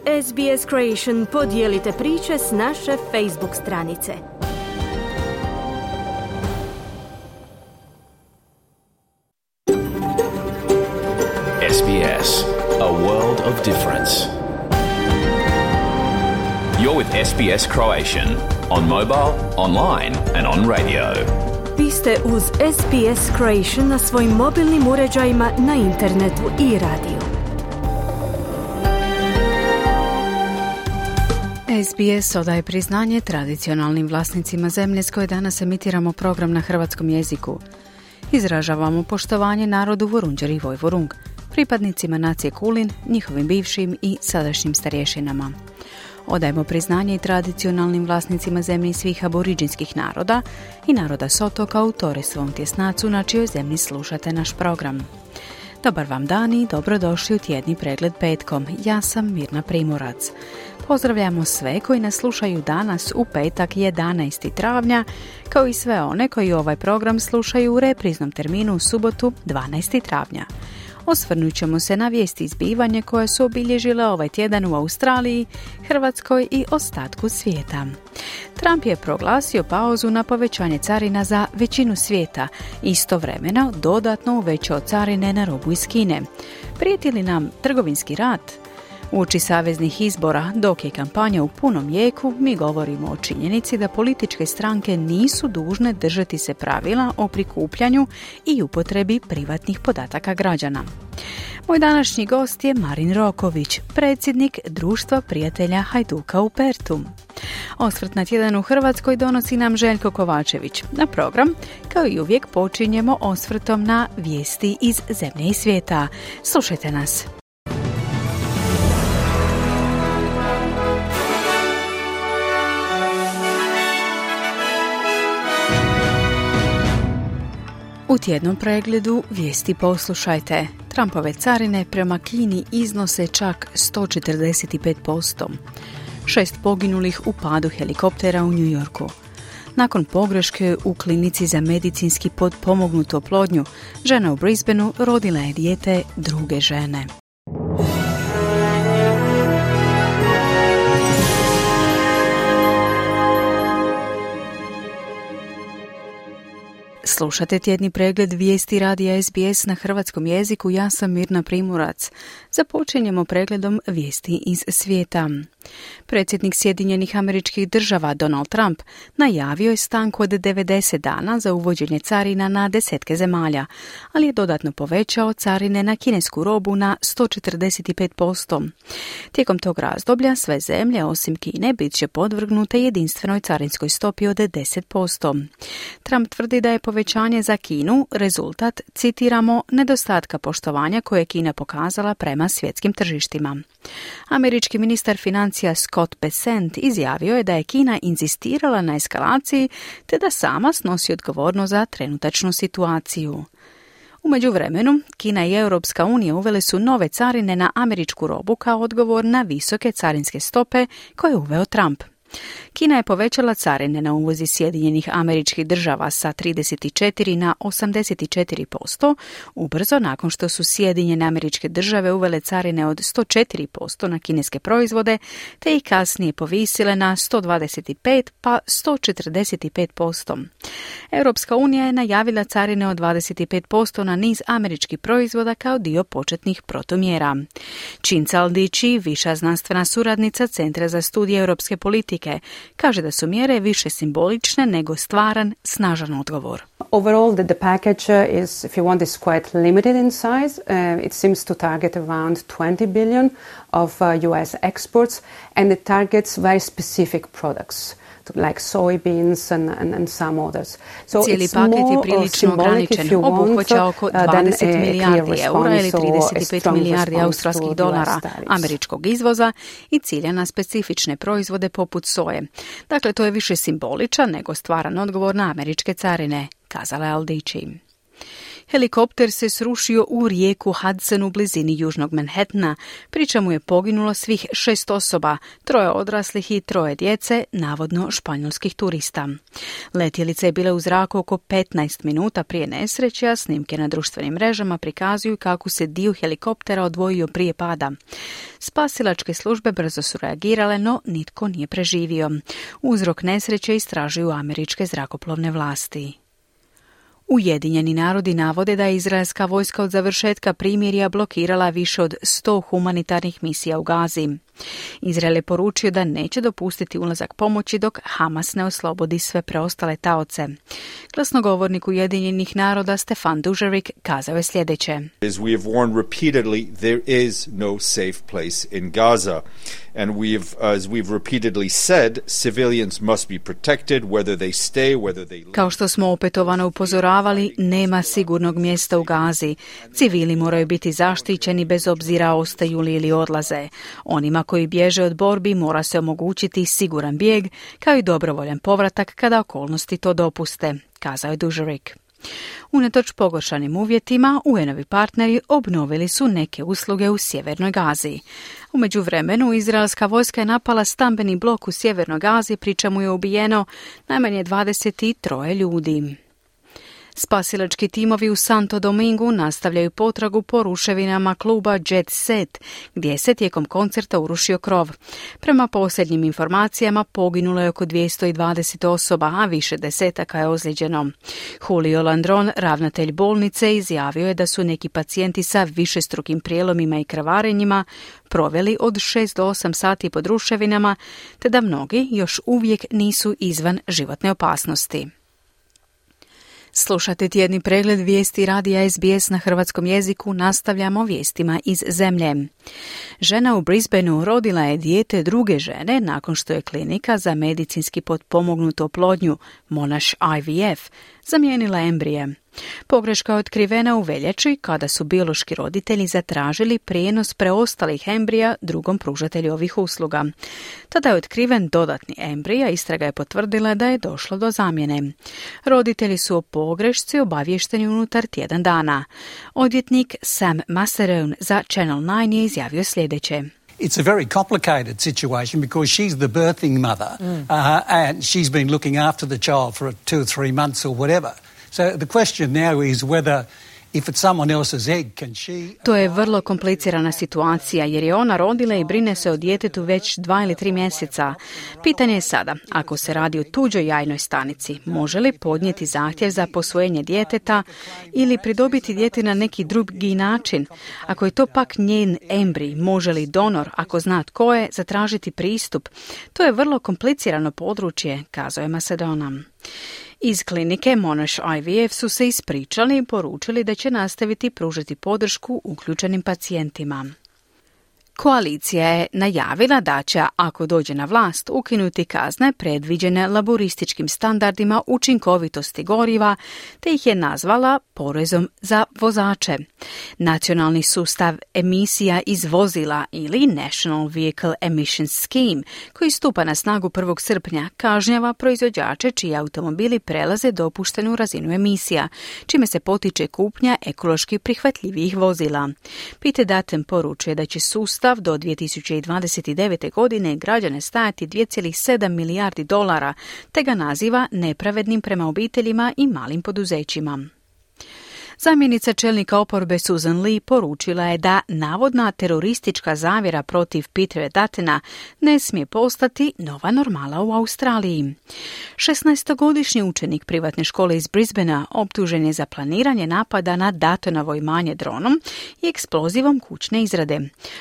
SBS Creation podijelite priče s naše Facebook stranice. SBS, a world of difference. You're with SBS Croatian on mobile, online and on radio. Vi ste uz SBS Creation na svojim mobilnim uređajima, na internetu i radiju. SBS odaje priznanje tradicionalnim vlasnicima zemlje s koje danas emitiramo program na hrvatskom jeziku. Izražavamo poštovanje narodu Vorunđer i Vojvorung, pripadnicima nacije Kulin, njihovim bivšim i sadašnjim starješinama. Odajemo priznanje i tradicionalnim vlasnicima zemlji svih aboriđinskih naroda i naroda s otoka u Torresovom tjesnacu na čijoj zemlji slušate naš program. Dobar vam dan i dobrodošli u tjedni pregled petkom. Ja sam Mirna Primorac. Pozdravljamo sve koji nas slušaju danas u petak 11. travnja, kao i sve one koji ovaj program slušaju u repriznom terminu u subotu 12. travnja. Osvrnut ćemo se na vijesti zbivanja koje su obilježile ovaj tjedan u Australiji, Hrvatskoj i ostatku svijeta. Trump je proglasio pauzu na povećanje carina za većinu svijeta, istovremeno dodatno uvećao carine na robu iz Kine. Prijeti li nam trgovinski rat? Uoči saveznih izbora, dok je kampanja u punom jeku, mi govorimo o činjenici da političke stranke nisu dužne držati se pravila o prikupljanju i upotrebi privatnih podataka građana. Moj današnji gost je Marin Roković, predsjednik Društva prijatelja Hajduka u Pertu. Osvrt na tjedan u Hrvatskoj donosi nam Željko Kovačević. Na program, kao i uvijek, počinjemo osvrtom na vijesti iz zemlje i svijeta. Slušajte nas. U tjednom pregledu vijesti poslušajte. Trumpove carine prema Kini iznose čak 145%. 6 poginulih u padu helikoptera u New Yorku. Nakon pogreške u klinici za medicinski potpomognutu oplodnju, žena u Brisbaneu rodila je dijete druge žene. Slušate tjedni pregled vijesti radija SBS na hrvatskom jeziku. Ja sam Mirna Primorac. Započinjemo pregledom vijesti iz svijeta. Predsjednik Sjedinjenih Američkih Država Donald Trump najavio je stanku od 90 dana za uvođenje carina na desetke zemalja, ali je dodatno povećao carine na kinesku robu na 145%. Tijekom tog razdoblja sve zemlje osim Kine bit će podvrgnute jedinstvenoj carinskoj stopi od 10%. Trump tvrdi da je povećanje za Kinu rezultat, citiramo, nedostatka poštovanja koje je Kina pokazala prema svjetskim tržištima. Američki ministar financija Scott Bessent izjavio je da je Kina inzistirala na eskalaciji te da sama snosi odgovornost za trenutačnu situaciju. U međuvremenu, Kina i Europska unija uvele su nove carine na američku robu kao odgovor na visoke carinske stope koje je uveo Trump. Kina je povećala carine na uvoz iz Sjedinjenih Američkih Država sa 34 na 84%, ubrzo nakon što su Sjedinjene Američke Države uvele carine od 104% na kineske proizvode, te ih kasnije povisile na 125 pa 145%. Europska unija je najavila carine od 25% na niz američkih proizvoda kao dio početnih protumjera. Cinca Aldici, viša znanstvena suradnica Centra za studije europske politike, kaže da su mjere više simbolične nego stvaran, snažan odgovor. Overall, the package is, if you want, is quite limited in size. It seems to target around 20 billion of US exports, and it targets very specific products, like soybeans and some others. So cijeli paket je prilično ograničen, obuhvaća oko 20 milijardi eura ili 35 milijardi australskih dolara američkog izvoza i cilja na specifične proizvode poput soje. Dakle, to je više simboličan nego stvaran odgovor na američke carine, kazala je Aldici. Helikopter se srušio u rijeku Hudson u blizini južnog Manhattana, pri čemu je poginulo svih 6 osoba, 3 odraslih i 3 djece, navodno španjolskih turista. Letjelica je bila u zraku oko 15 minuta prije nesreće, a snimke na društvenim mrežama prikazuju kako se dio helikoptera odvojio prije pada. Spasilačke službe brzo su reagirale, no nitko nije preživio. Uzrok nesreće istražuju američke zrakoplovne vlasti. Ujedinjeni narodi navode da je izraelska vojska od završetka primirja blokirala više od 100 humanitarnih misija u Gazi. Izrael je poručio da neće dopustiti ulazak pomoći dok Hamas ne oslobodi sve preostale taoce. Glasnogovornik Ujedinjenih naroda Stefan Dujarric kazao je sljedeće. As we have warned repeatedly, there is no safe place in Gaza. And as we've repeatedly said, civilians must be protected, whether they stay, whether they leave. Kao što smo opetovano upozoravali, nema sigurnog mjesta u Gazi. Civili moraju biti zaštićeni bez obzira ostaju li ili odlaze. Onima koji bježe od borbi mora se omogućiti siguran bijeg, kao i dobrovoljan povratak kada okolnosti to dopuste, kazao je Dujarric. Unatoč pogoršanim uvjetima, UN-ovi partneri obnovili su neke usluge u sjevernoj Gazi. U međuvremenu, izraelska vojska je napala stambeni blok u sjevernoj Gazi, pri čemu je ubijeno najmanje 23 ljudi. Spasilački timovi u Santo Domingu nastavljaju potragu po ruševinama kluba Jet Set, gdje se tijekom koncerta urušio krov. Prema posljednjim informacijama poginulo je oko 220 osoba, a više desetaka je ozlijeđeno. Julio Landron, ravnatelj bolnice, izjavio je da su neki pacijenti sa višestrukim prijelomima i krvarenjima proveli od 6 do 8 sati pod ruševinama, te da mnogi još uvijek nisu izvan životne opasnosti. Slušate tjedni pregled vijesti radija SBS na hrvatskom jeziku, nastavljamo vijestima iz zemlje. Žena u Brisbaneu rodila je dijete druge žene nakon što je klinika za medicinski potpomognutu oplodnju, Monash IVF, zamijenila embrije. Pogreška je otkrivena u veljači kada su biološki roditelji zatražili prijenos preostalih embrija drugom pružatelju ovih usluga. Tada je otkriven dodatni embrij, a istraga je potvrdila da je došlo do zamjene. Roditelji su o pogrešci obavješteni unutar tjedan dana. Odvjetnik Sam Masserone za Channel 9 je izjavio sljedeće. It's a very complicated situation because she's the birthing mother and she's been looking after the child for 2 or 3 months or whatever. So the question now is whether if it's someone else's egg, can she... To je vrlo komplicirana situacija jer je ona rodila i brine se o djetetu već 2 ili 3 mjeseca. Pitanje je sada, ako se radi o tuđoj jajnoj stanici, može li podnijeti zahtjev za posvojenje djeteta ili pridobiti dijete na neki drugi način? Ako je to pak njen embrij, može li donor, ako zna tko je, zatražiti pristup? To je vrlo komplicirano područje, kazao je Macedona. Iz klinike Monash IVF su se ispričali i poručili da će nastaviti pružiti podršku uključenim pacijentima. Koalicija je najavila da će, ako dođe na vlast, ukinuti kazne predviđene laborističkim standardima učinkovitosti goriva, te ih je nazvala porezom za vozače. Nacionalni sustav emisija iz vozila ili National Vehicle Emissions Scheme, koji stupa na snagu 1. srpnja, kažnjava proizvođače čiji automobili prelaze dopuštenu razinu emisija, čime se potiče kupnja ekološki prihvatljivijih vozila. Peter Dutton poručuje da će sustav do 2029. godine građane stajati $2,7 milijardi, te ga naziva nepravednim prema obiteljima i malim poduzećima. Zamjenica čelnika oporbe Susan Lee poručila je da navodna teroristička zavjera protiv Petera Duttona ne smije postati nova normala u Australiji. 16-godišnji učenik privatne škole iz Brisbanea optužen je za planiranje napada na Duttonovo imanje dronom i eksplozivom kućne izrade.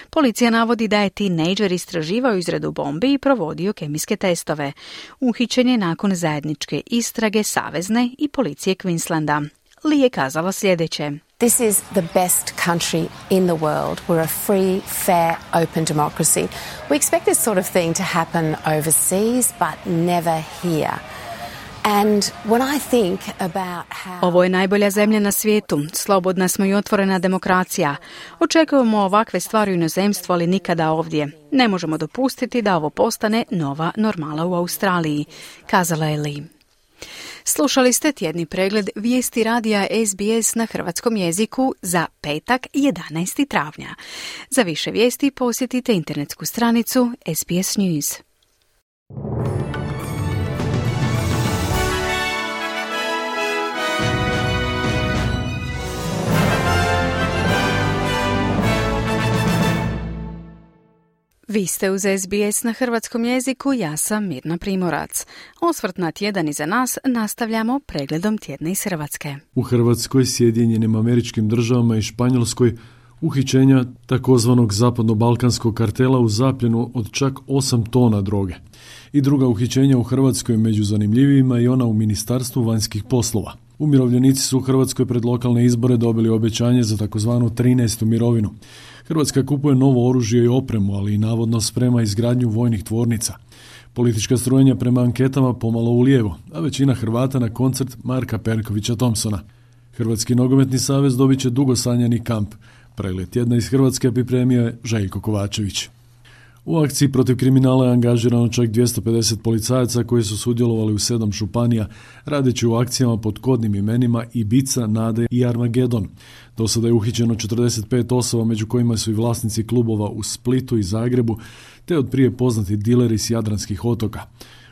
Policija navodi da je tinejdžer istraživao izradu bombi i provodio kemijske testove. Uhićen je nakon zajedničke istrage savezne i policije Queenslanda. Lee je kazala sljedeće. This is the best country in the world. We're a free, fair, open democracy. We expect this sort of thing to happen overseas, but never here. And when I think about how... Ovo je najbolja zemlja na svijetu. Slobodna smo i otvorena demokracija. Očekujemo ovakve stvari u inozemstvu, ali nikada ovdje. Ne možemo dopustiti da ovo postane nova normala u Australiji, kazala je Lee. Slušali ste tjedni pregled vijesti radija SBS na hrvatskom jeziku za petak 11. travnja. Za više vijesti posjetite internetsku stranicu SBS News. Vi ste uz SBS na hrvatskom jeziku, ja sam Mirna Primorac. Osvrt na tjedan iza nas nastavljamo pregledom tjedna iz Hrvatske. U Hrvatskoj, Sjedinjenim Američkim Državama i Španjolskoj uhićenja takozvanog zapadno-balkanskog kartela u zapljenu od čak 8 tona droge. I druga uhićenja u Hrvatskoj među zanimljivijima i ona u Ministarstvu vanjskih poslova. Umirovljenici su u Hrvatskoj pred lokalne izbore dobili obećanje za takozvanu 13. mirovinu. Hrvatska kupuje novo oružje i opremu, ali i navodno sprema izgradnju vojnih tvornica. Politička strujenja prema anketama pomalo ulijevo, a većina Hrvata na koncert Marka Perkovića Thompsona. Hrvatski nogometni savez dobit će dugo sanjani kamp. Pregled tjedna iz Hrvatske pripremio je Željko Kovačević. U akciji protiv kriminala je angažirano čak 250 policajaca koji su sudjelovali u 7 županija, radeći u akcijama pod kodnim imenima Ibiza, Nade i Armagedon. Do sada je uhićeno 45 osoba, među kojima su i vlasnici klubova u Splitu i Zagrebu, te od prije poznati dileri s Jadranskih otoka.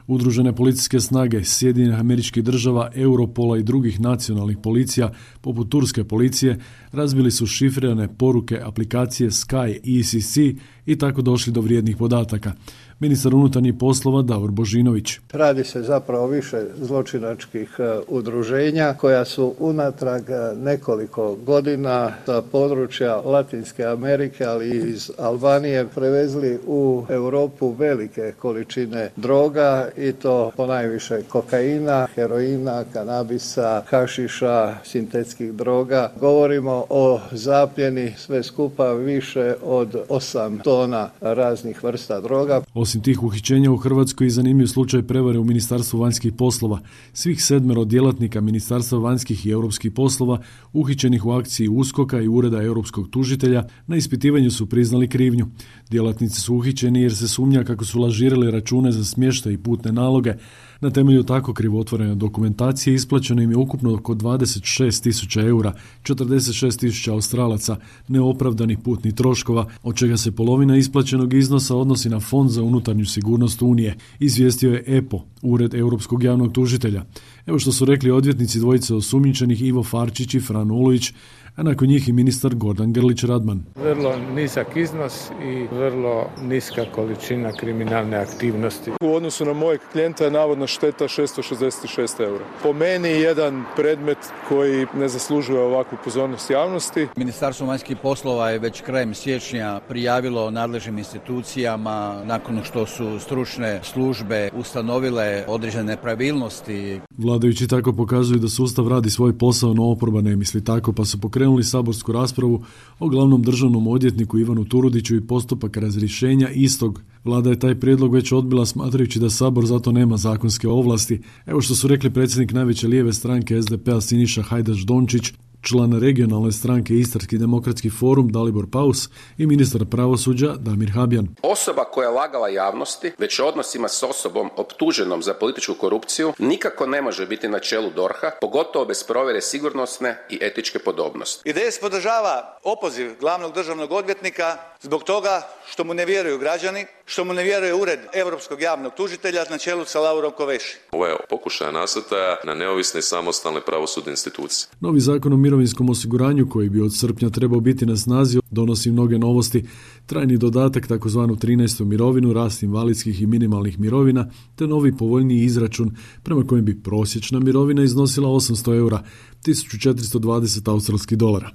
Udružene policijske snage Sjedinjenih Američkih Država, Europola i drugih nacionalnih policija, poput turske policije, razbili su šifrirane poruke aplikacije Sky ECC i tako došli do vrijednih podataka. Ministar unutarnjih poslova Davor Božinović. Radi se zapravo više zločinačkih udruženja koja su unatrag nekoliko godina sa područja Latinske Amerike, ali i iz Albanije prevezli u Europu velike količine droga i to ponajviše kokaina, heroina, kanabisa, hašiša, sintetskih droga. Govorimo o zapljeni sve skupa više od 8 tona raznih vrsta droga. Osim tih uhićenja u Hrvatskoj i zanimljiv slučaj prevare u Ministarstvu vanjskih poslova. Svih 7 djelatnika Ministarstva vanjskih i europskih poslova uhićenih u akciji USKOK-a i Ureda europskog tužitelja na ispitivanju su priznali krivnju. Djelatnici su uhićeni jer se sumnja kako su lažirali račune za smještaj i putne naloge. Na temelju tako krivotvorene dokumentacije isplaćeno im je ukupno oko 26.000 eura, 46.000 Australaca, neopravdanih putnih troškova, od čega se polovina isplaćenog iznosa odnosi na Fond za unutarnju sigurnost Unije, izvijestio je EPO, Ured Europskog javnog tužitelja. Evo što su rekli odvjetnici dvojice osumnjičenih Ivo Farčić i Fran Ulović, a nakon njih i ministar Gordan Grlić Radman. Vrlo nizak iznos i vrlo niska količina kriminalne aktivnosti. U odnosu na mojeg klijenta je navodna šteta 666 eura. Po meni jedan predmet koji ne zaslužuje ovakvu pozornost javnosti. Ministarstvo vanjskih poslova je već krajem siječnja prijavilo nadležnim institucijama nakon što su stručne službe ustanovile određene nepravilnosti. Vladajući tako pokazuju da sustav radi svoj posao, no oporba ne misli tako, pa su pokrenuli saborsku raspravu o glavnom državnom odvjetniku Ivanu Turudiću i postupak razrješenja istog. Vlada je taj prijedlog već odbila smatrajući da Sabor zato nema zakonske ovlasti. Evo što su rekli predsjednik najveće lijeve stranke SDP-a Siniša Hajdaš Dončić, član regionalne stranke Istarski demokratski forum Dalibor Paus i ministar pravosuđa Damir Habjan. Osoba koja je lagala javnosti već odnosima s osobom optuženom za političku korupciju nikako ne može biti na čelu DORH-a, pogotovo bez provjere sigurnosne i etičke podobnosti. IDS podržava opoziv glavnog državnog odvjetnika zbog toga što mu ne vjeruju građani, što mu ne vjeruje Ured Europskog javnog tužitelja na čelu sa Laurom Koveši. Ovo je pokušaj nasrtaja na neovisne i samostalne pravosudne institucije. Novi zakon o mirovinskom osiguranju koji bi od srpnja trebao biti na snazi donosi mnoge novosti, trajni dodatak takozvanu 13. mirovinu, rast invalidskih i minimalnih mirovina, te novi povoljniji izračun prema kojem bi prosječna mirovina iznosila 800 eura, 1420 australskih dolara.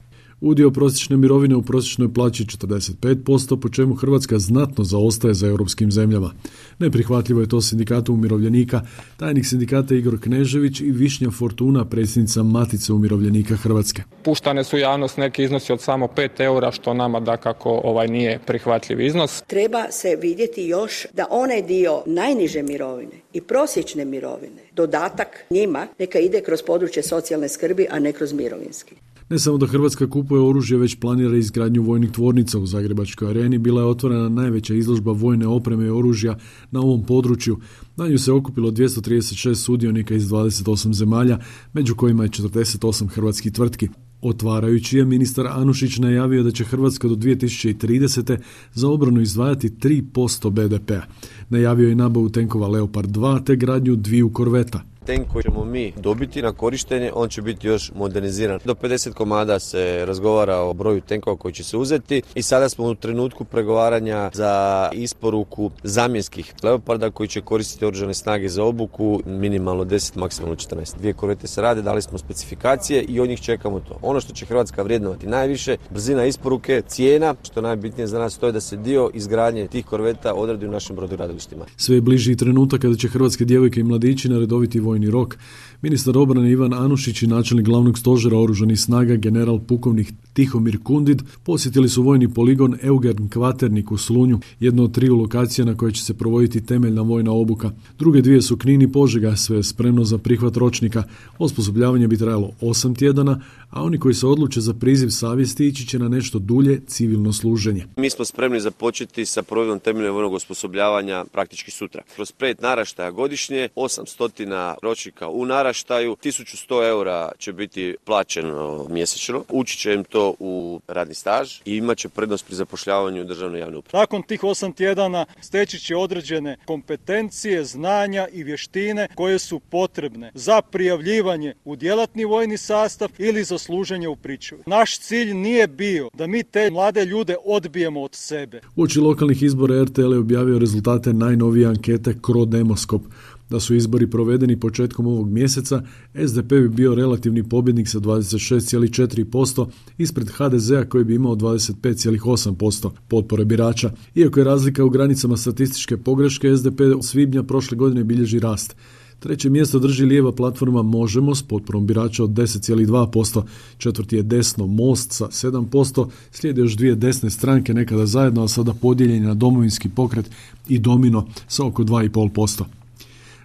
Udio prosječne mirovine u prosječnoj plaći 45%, po čemu Hrvatska znatno zaostaje za europskim zemljama. Neprihvatljivo je to sindikatu umirovljenika, tajnik sindikata Igor Knežević i Višnja Fortuna, predsjednica Matice umirovljenika Hrvatske. Puštane su javnost neki iznosi od samo 5 eura, što nama dakako nije prihvatljiv iznos. Treba se vidjeti još da onaj dio najniže mirovine i prosječne mirovine, dodatak njima neka ide kroz područje socijalne skrbi, a ne kroz mirovinski. Ne samo da Hrvatska kupuje oružje, već planira izgradnju vojnih tvornica u Zagrebačkoj areni. Bila je otvorena najveća izložba vojne opreme i oružja na ovom području. Na nju se okupilo 236 sudionika iz 28 zemalja, među kojima je 48 hrvatskih tvrtki. Otvarajući je, ministar Anušić najavio da će Hrvatska do 2030. za obranu izdvajati 3% BDP-a. Najavio je nabavu tenkova Leopard 2 te gradnju 2 korveta. Tank koji ćemo mi dobiti na korištenje, on će biti još moderniziran. Do 50 komada se razgovara o broju tenkova koji će se uzeti i sada smo u trenutku pregovaranja za isporuku zamjenskih Leoparda koji će koristiti oružane snage za obuku, minimalno 10, maksimalno 14. 2 korvete se rade, dali smo specifikacije i od njih čekamo to. Ono što će Hrvatska vrijednovati najviše, brzina isporuke, cijena, što najbitnije za nas to je da se dio izgradnje tih korveta odradi u našim brodogradilištima. Sve je bliži trenutak kada će hrvatske djevojke i mladići naredoviti vojni rok. Ministar obrane Ivan Anušić i načelnik glavnog stožera oružanih snaga general pukovnik Tihomir Kundid posjetili su vojni poligon Eugen Kvaternik u Slunju, jedno od 3 lokacija na koje će se provoditi temeljna vojna obuka. Druge 2 su Knin i Požega, sve je spremno za prihvat ročnika. Osposobljavanje bi trajalo 8 tjedana, a oni koji se odluče za priziv savjesti ići će na nešto dulje civilno služenje. Mi smo spremni započeti sa provedbom temeljnog vojnog osposobljavanja praktički sutra. Kroz 5 naraštaja godišnje, 800 ročnika u naraštaju, 1100 eura će biti plaćeno mjesečno, ući će im to u radni staž i imat će prednost pri zapošljavanju u državnoj javnoj upravi. Nakon tih 8 tjedana steći će određene kompetencije, znanja i vještine koje su potrebne za prijavljivanje u djelatni vojni sastav ili za služenje u pričuvi. Naš cilj nije bio da mi te mlade ljude odbijemo od sebe. Uoči lokalnih izbora RTL je objavio rezultate najnovije ankete Crodemoskop. Da su izbori provedeni početkom ovog mjeseca, SDP bi bio relativni pobjednik sa 26,4% ispred HDZ-a koji bi imao 25,8% potpore birača. Iako je razlika u granicama statističke pogreške, SDP od svibnja prošle godine bilježi rast. 3. mjesto drži lijeva platforma Možemo s potporom birača od 10,2%, 4. je desno Most sa 7%, slijede još 2 desne stranke nekada zajedno, a sada podijeljeni na Domovinski pokret i Domino sa oko 2,5%.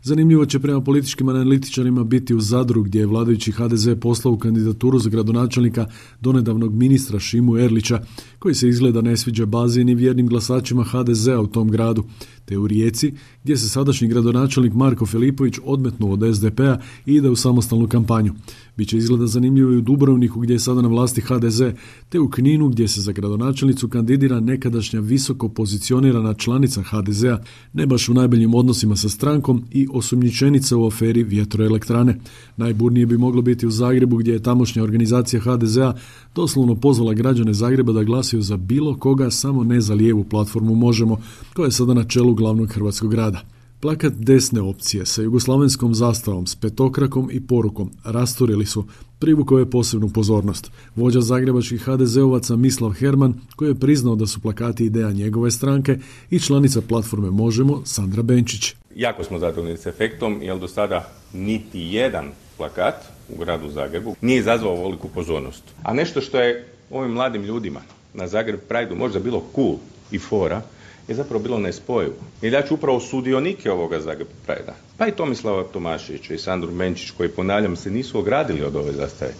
Zanimljivo će prema političkim analitičarima biti u Zadru, gdje je vladajući HDZ poslao u kandidaturu za gradonačelnika donedavnog ministra Šimu Erlića, koji se izgleda ne sviđa bazi ni vjernim glasačima HDZ-a u tom gradu, te u Rijeci, gdje se sadašnji gradonačelnik Marko Filipović odmetnuo od SDP-a i ide u samostalnu kampanju. Biće izgleda zanimljivo i u Dubrovniku, gdje je sada na vlasti HDZ, te u Kninu, gdje se za gradonačelnicu kandidira nekadašnja visoko pozicionirana članica HDZ-a, ne baš u najboljim odnosima sa strankom i osumnjičenica u aferi vjetroelektrane. Najburnije bi moglo biti u Zagrebu, gdje je tamošnja organizacija HDZ-a doslovno pozvala građane Zagreba da glasuju za bilo koga, samo ne za lijevu platformu Možemo, koja je sada na čelu glavnog hrvatskog grada. Plakat desne opcije sa jugoslavenskom zastavom, s petokrakom i porukom rasturili su, privukao je posebnu pozornost. Vođa zagrebačkih HDZ-ovaca Mislav Herman, koji je priznao da su plakati ideja njegove stranke, i članica platforme Možemo Sandra Benčić. Jako smo zadovoljni s efektom, jer do sada niti jedan plakat u gradu Zagrebu nije izazvao ovoliku pozornost. A nešto što je ovim mladim ljudima na Zagreb Prideu možda bilo cool i fora, je zapravo bilo nespojivo. I da ću upravo sudionike ovoga Zagreb Pridea, pa i Tomislava Tomaševića i Sandru Benčić, koji, ponavljam, se nisu ogradili od ove zastave,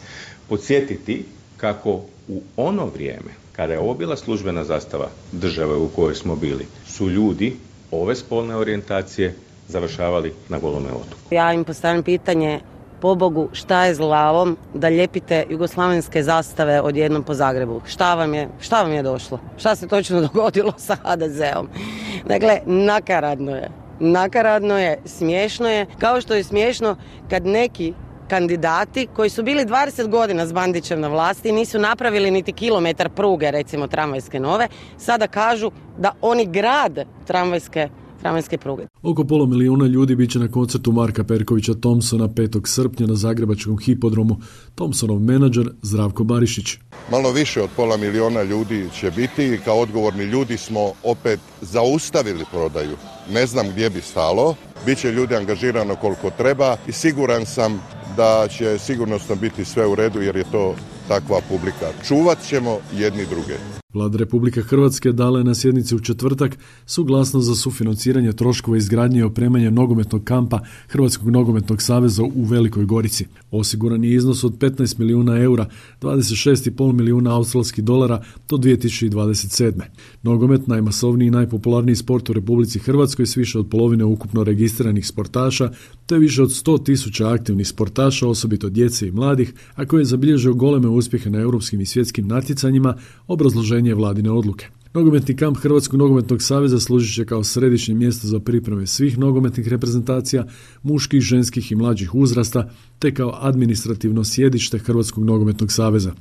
podsjetiti kako u ono vrijeme, kada je ovo bila službena zastava države u kojoj smo bili, su ljudi ove spolne orijentacije završavali na Golome otoku. Ja im postavljam pitanje, pobogu, šta je s glavom da lijepite jugoslavenske zastave odjednom po Zagrebu? Šta vam je došlo? Šta se točno dogodilo sa HDZ-om? Dakle, nakaradno je, smiješno je, kao što je smiješno kad neki kandidati koji su bili 20 godina s Bandićem na vlasti, nisu napravili niti kilometar pruge, recimo tramvajske nove, sada kažu da oni grade tramvajske pruge. Oko 500.000 ljudi bit će na koncertu Marka Perkovića Thompsona 5. srpnja na zagrebačkom hipodromu. Thompsonov menadžer Zdravko Barišić. Malo više od 500.000 ljudi će biti i kao odgovorni ljudi smo opet zaustavili prodaju. Ne znam gdje bi stalo, bit će ljudi angažirano koliko treba i siguran sam da će sigurnosno biti sve u redu jer je to takva publika. Čuvat ćemo jedni druge. Vlada Republike Hrvatske dala je na sjednici u četvrtak suglasnost za sufinanciranje troškova izgradnje i opremanja nogometnog kampa Hrvatskog nogometnog saveza u Velikoj Gorici. Osiguran je iznos od 15 milijuna eura, 26,5 milijuna australskih dolara do 2027. Nogomet, najmasovniji i najpopularniji sport u Republici Hrvatskoj s više od polovine ukupno registriranih sportaša, te više od 100.000 aktivnih sportaša, osobito djece i mladih, a koji je zabilježio goleme uspjehe na europskim i svjetskim natjecanjima, obrazloženje vladine odluke. Nogometni kamp Hrvatskog nogometnog saveza služit će kao središnje mjesto za pripreme svih nogometnih reprezentacija, muških, ženskih i mlađih uzrasta, te kao administrativno sjedište Hrvatskog nogometnog saveza.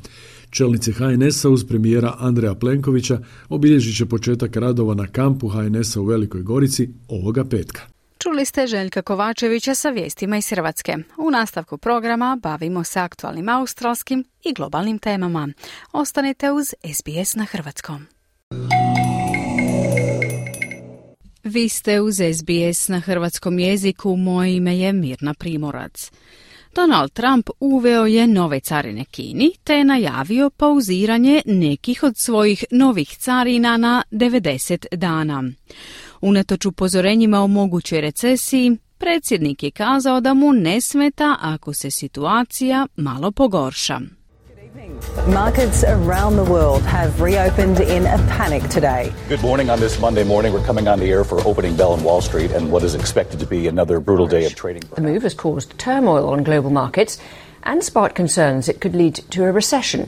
Čelnici HNS-a uz premijera Andreja Plenkovića obilježit će početak radova na kampu HNS-a u Velikoj Gorici ovoga petka. Čuli ste Željka Kovačevića sa vijestima iz Hrvatske. U nastavku programa bavimo se aktualnim australskim i globalnim temama. Ostanite uz SBS na hrvatskom. Vi ste uz SBS na hrvatskom jeziku, moje ime je Mirna Primorac. Donald Trump uveo je nove carine Kini te je najavio pauziranje nekih od svojih novih carina na 90 dana. Unatoč upozorenjima o mogućoj recesiji, predsjednik je kazao da mu ne smeta ako se situacija malo pogorša. Markets around the world have reopened in a panic today. Good morning on this Monday morning. We're coming on the air for opening bell on Wall Street and what is expected to be another brutal day of trading. The move has caused turmoil on global markets and sparked concerns it could lead to a recession.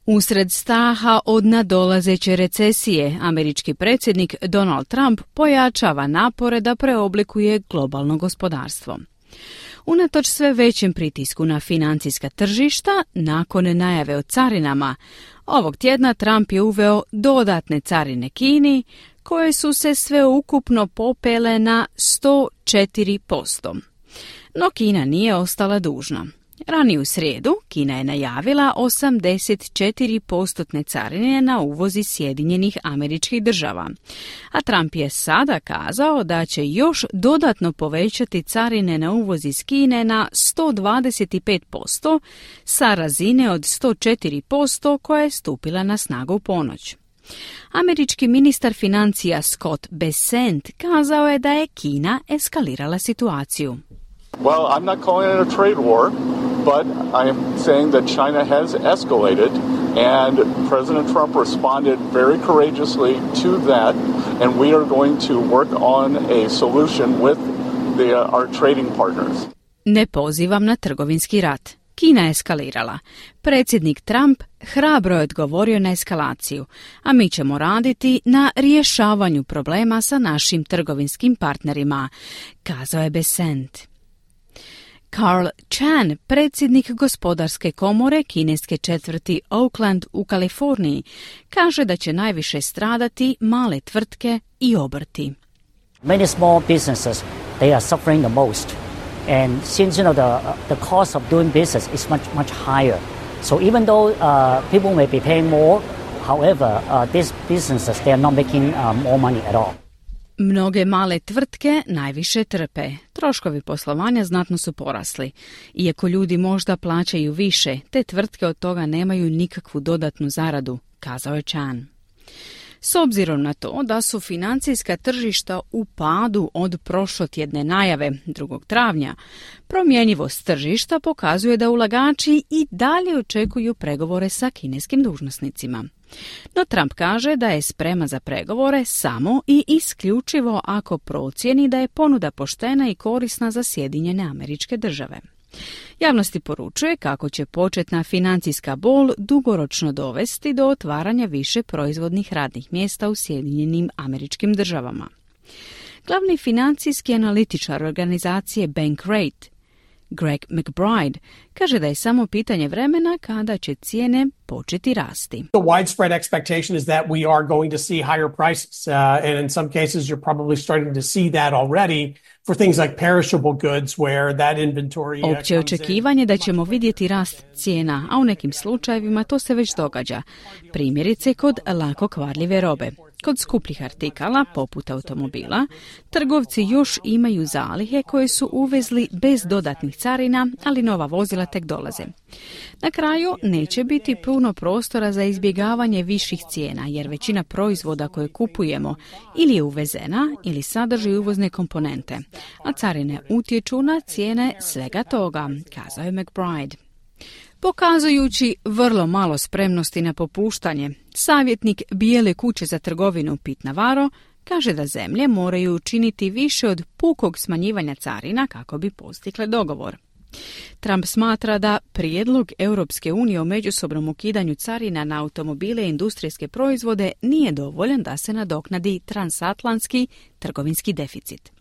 Usred straha od nadolazeće recesije, američki predsjednik Donald Trump pojačava napore da preoblikuje globalno gospodarstvo. Unatoč sve većem pritisku na financijska tržišta, nakon najave o carinama, ovog tjedna Trump je uveo dodatne carine Kini, koje su se sveukupno popele na 104%. No Kina nije ostala dužna. Ranije u srijedu Kina je najavila 84% carine na uvoz iz Sjedinjenih Američkih Država, a Trump je sada kazao da će još dodatno povećati carine na uvoz iz Kine na 125% sa razine od 104% koja je stupila na snagu u ponoć. Američki ministar financija Scott Bessent kazao je da je Kina eskalirala situaciju. Well, I'm not calling it a trade war, but I am saying that China has escalated, and President Trump responded very courageously to that, and we are going to work on a solution with our trading partners. Ne pozivam na trgovinski rat. Kina je eskalirala. Predsjednik Trump hrabro je odgovorio na eskalaciju, a mi ćemo raditi na rješavanju problema sa našim trgovinskim partnerima, kazao je Bessent. Carl Chan, predsjednik gospodarske komore kineske četvrti Oakland u Kaliforniji, kaže da će najviše stradati male tvrtke i obrti. Many small businesses, they are suffering the most. And since the cost of doing business is much higher. So even though people may be paying more, however, these businesses, they are not making more money at all. Mnoge male tvrtke najviše trpe. Troškovi poslovanja znatno su porasli. Iako ljudi možda plaćaju više, te tvrtke od toga nemaju nikakvu dodatnu zaradu, kazao je Chan. S obzirom na to da su financijska tržišta u padu od prošlotjedne najave 2. travnja, promjenjivost tržišta pokazuje da ulagači i dalje očekuju pregovore sa kineskim dužnosnicima. No Trump kaže da je spreman za pregovore samo i isključivo ako procijeni da je ponuda poštena i korisna za Sjedinjene Američke Države. Javnosti poručuje kako će početna financijska bol dugoročno dovesti do otvaranja više proizvodnih radnih mjesta u Sjedinjenim Američkim Državama. Glavni financijski analitičar organizacije Bankrate, Greg McBride, kaže da je samo pitanje vremena kada će cijene početi rasti. The widespread expectation is that we are going to see higher prices, and in some cases you're probably starting to see that already for things like perishable goods where that inventory Opće očekivanje da ćemo vidjeti rast cijena, a u nekim slučajevima to se već događa. Primjerice kod lako kvarljive robe. Kod skupljih artikala, poput automobila, trgovci još imaju zalihe koje su uvezli bez dodatnih carina, ali nova vozila tek dolaze. Na kraju neće biti puno prostora za izbjegavanje viših cijena, jer većina proizvoda koje kupujemo ili je uvezena ili sadrži uvozne komponente, a carine utječu na cijene svega toga, kazao je McBride. Pokazujući vrlo malo spremnosti na popuštanje, savjetnik Bijele kuće za trgovinu Pete Navarro kaže da zemlje moraju učiniti više od pukog smanjivanja carina kako bi postigli dogovor. Trump smatra da prijedlog Europske unije o međusobnom ukidanju carina na automobile i industrijske proizvode nije dovoljan da se nadoknadi transatlantski trgovinski deficit.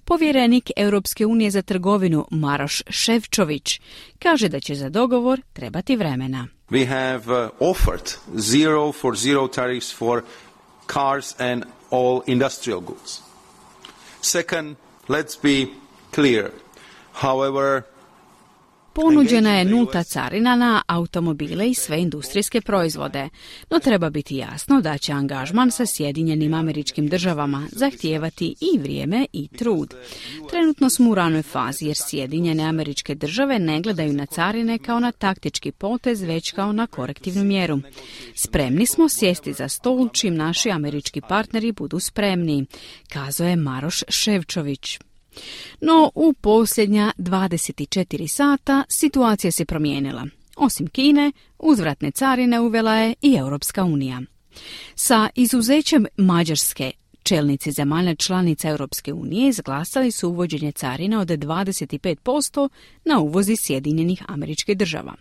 Povjerenik Europske unije za trgovinu Maroš Šefčović kaže da će za dogovor trebati vremena. We have offered zero tariffs for cars and all industrial goods. Second, let's be clear. However, ponuđena je nulta carina na automobile i sve industrijske proizvode, no treba biti jasno da će angažman sa Sjedinjenim Američkim Državama zahtijevati i vrijeme i trud. Trenutno smo u ranoj fazi jer Sjedinjene Američke Države ne gledaju na carine kao na taktički potez, već kao na korektivnu mjeru. Spremni smo sjesti za stol čim naši američki partneri budu spremni, kazao je Maroš Šefčović. No, u posljednja 24 sata situacija se promijenila. Osim Kine, uzvratne carine uvela je i Europska unija. Sa izuzećem Mađarske, čelnici zemalja članica Europske unije izglasali su uvođenje carina od 25% na uvoz iz Sjedinjenih Američkih Država.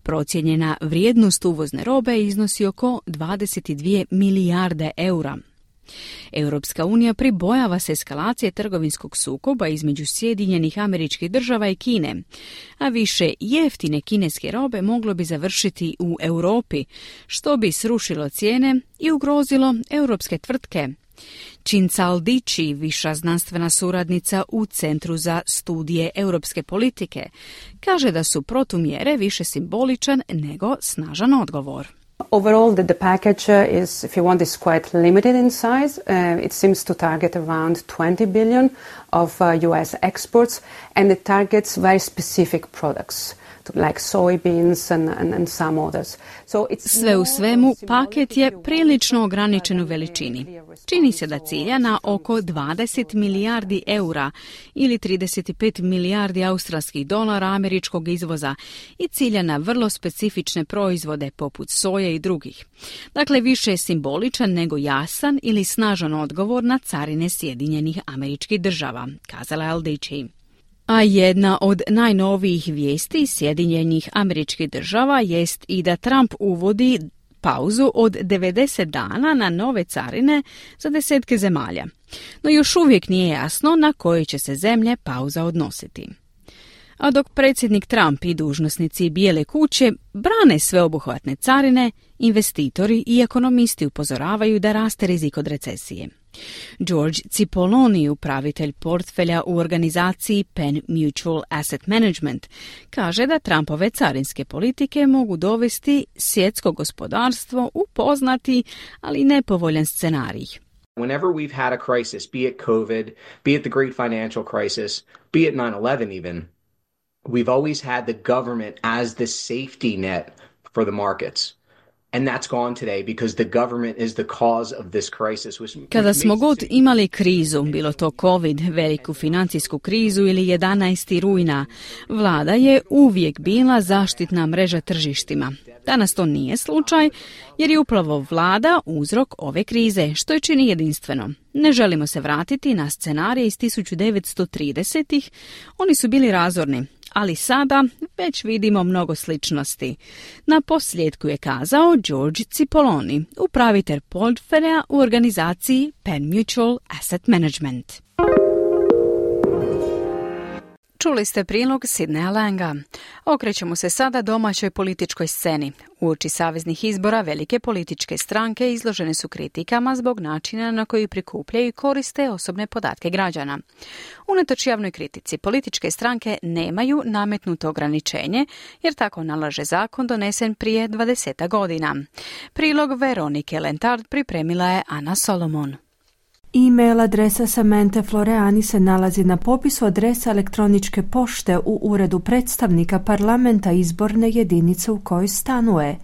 Procijenjena vrijednost uvozne robe iznosi oko 22 milijarde eura. Europska unija pribojava se eskalacije trgovinskog sukoba između Sjedinjenih Američkih Država i Kine, a više jeftine kineske robe moglo bi završiti u Europi, što bi srušilo cijene i ugrozilo europske tvrtke. Cinzal Dici, viša znanstvena suradnica u Centru za studije europske politike, kaže da su protumjere više simboličan nego snažan odgovor. Overall, the package is, if you want, is quite limited in size. It seems to target around 20 billion of US exports, and it targets very specific products, like soybeans and some others. So sve u svemu, paket je prilično ograničen u veličini. Čini se da cilja na oko 20 milijardi eura ili 35 milijardi australskih dolara američkog izvoza i cilja na vrlo specifične proizvode poput soje i drugih. Dakle, više je simboličan nego jasan ili snažan odgovor na carine Sjedinjenih Američkih Država, kazala je Aldici. A jedna od najnovijih vijesti Sjedinjenih Američkih Država jest i da Trump uvodi pauzu od 90 dana na nove carine za desetke zemalja. No još uvijek nije jasno na koje će se zemlje pauza odnositi. A dok predsjednik Trump i dužnosnici Bijele kuće brane sveobuhvatne carine, investitori i ekonomisti upozoravaju da raste rizik od recesije. George Cipolloni, upravitelj portfelja u organizaciji Penn Mutual Asset Management, kaže da Trumpove carinske politike mogu dovesti svjetsko gospodarstvo u poznati, ali nepovoljan scenarij. Whenever we've had a crisis, be it COVID, be it the great financial crisis, be it 9/11 even, we've always had the government as the safety net for the markets. And that's gone today because the government is the cause of this crisis. Kada smo god imali krizu, bilo to COVID, veliku financijsku krizu ili 11. rujna, vlada je uvijek bila zaštitna mreža tržištima. Danas to nije slučaj jer je upravo vlada uzrok ove krize, što je čini jedinstveno. Ne želimo se vratiti na scenarije iz 1930-ih, oni su bili razorni. Ali sada već vidimo mnogo sličnosti. Na posljedku je kazao George Cipolloni, upravitelj portfelja u organizaciji Penn Mutual Asset Management. Čuli ste prilog Sidneya Langa. Okrećemo se sada domaćoj političkoj sceni. Uoči saveznih izbora velike političke stranke izložene su kritikama zbog načina na koji prikupljaju i koriste osobne podatke građana. Unatoč javnoj kritici, političke stranke nemaju nametnuto ograničenje, jer tako nalaže zakon donesen prije 20 godina. Prilog Veronike Lentard pripremila je Ana Solomon. E-mail adresa Samanthe Floreani se nalazi na popisu adresa elektroničke pošte u uredu predstavnika parlamenta izborne jedinice u kojoj stanuje.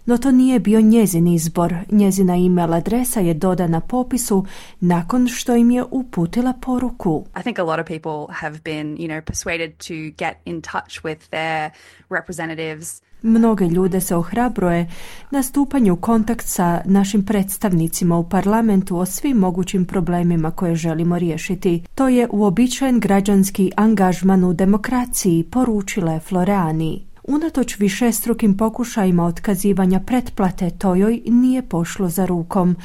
No to nije bio njezin izbor. Njezina e-mail adresa je dodana popisu nakon što im je uputila poruku. I think a lot of people have been, persuaded to get in touch with their representatives. Mnoge ljude se ohrabruje na stupanje u kontakt sa našim predstavnicima u parlamentu o svim mogućim problemima koje želimo riješiti. To je uobičajen građanski angažman u demokraciji, poručila je Floreani. Unatoč višestrukim pokušajima otkazivanja pretplate, to joj nije pošlo za rukom.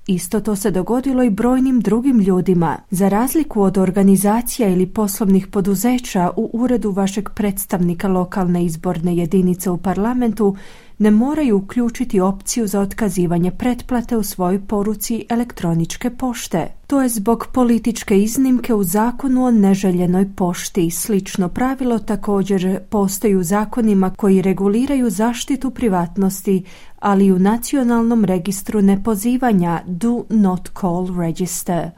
Isto to se dogodilo i brojnim drugim ljudima. Za razliku od organizacija ili poslovnih poduzeća, u uredu vašeg predstavnika lokalne izborne jedinice u parlamentu ne moraju uključiti opciju za otkazivanje pretplate u svojoj poruci elektroničke pošte. To je zbog političke iznimke u zakonu o neželjenoj pošti. Slično pravilo također postoji u zakonima koji reguliraju zaštitu privatnosti, ali i u nacionalnom registru nepozivanja Do Not Call Register.